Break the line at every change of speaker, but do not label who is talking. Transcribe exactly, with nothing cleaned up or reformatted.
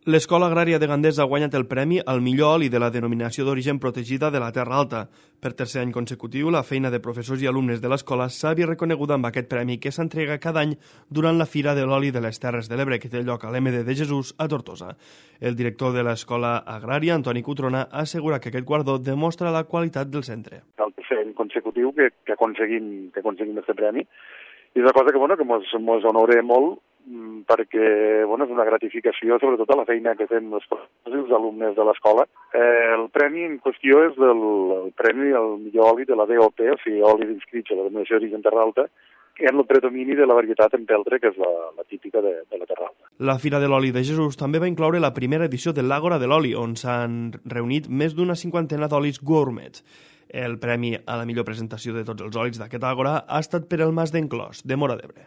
L'Escola Agrària de Gandesa ha guanyat el premi al millor oli de la denominació d'origen protegida de la Terra Alta. Per tercer any consecutiu, la feina de professors i alumnes de l'escola s'ha vist reconeguda amb aquest premi que s'entrega cada any durant la Fira de l'Oli de les Terres de l'Ebre, que té lloc a l'M D de Jesús, a Tortosa. El director de l'Escola Agrària, Antoni Cutrona, assegura que aquest guardó demostra la qualitat del centre.
El tercer any consecutiu que, que aconseguim que aconseguim aquest premi, i és una cosa que, bueno, que mos, mos honora molt, perquè bueno, és una gratificació sobretot a la feina que fem els professors i els alumnes de l'escola. Eh, el premi en qüestió és del, el premi al millor oli de la D O P, o sigui, oli inscrits a la denominació d'origen Terra Alta, en el predomini de la varietat empeltre, que és la, la típica de, de la Terra Alta.
La Fira de l'Oli de Jesús també va incloure la primera edició de l'Àgora de l'Oli, on s'han reunit més d'una cinquantena d'olis gourmets. El premi a la millor presentació de tots els olis d'aquest àgora ha estat per el Mas d'en Clos, de Móra d'Ebre.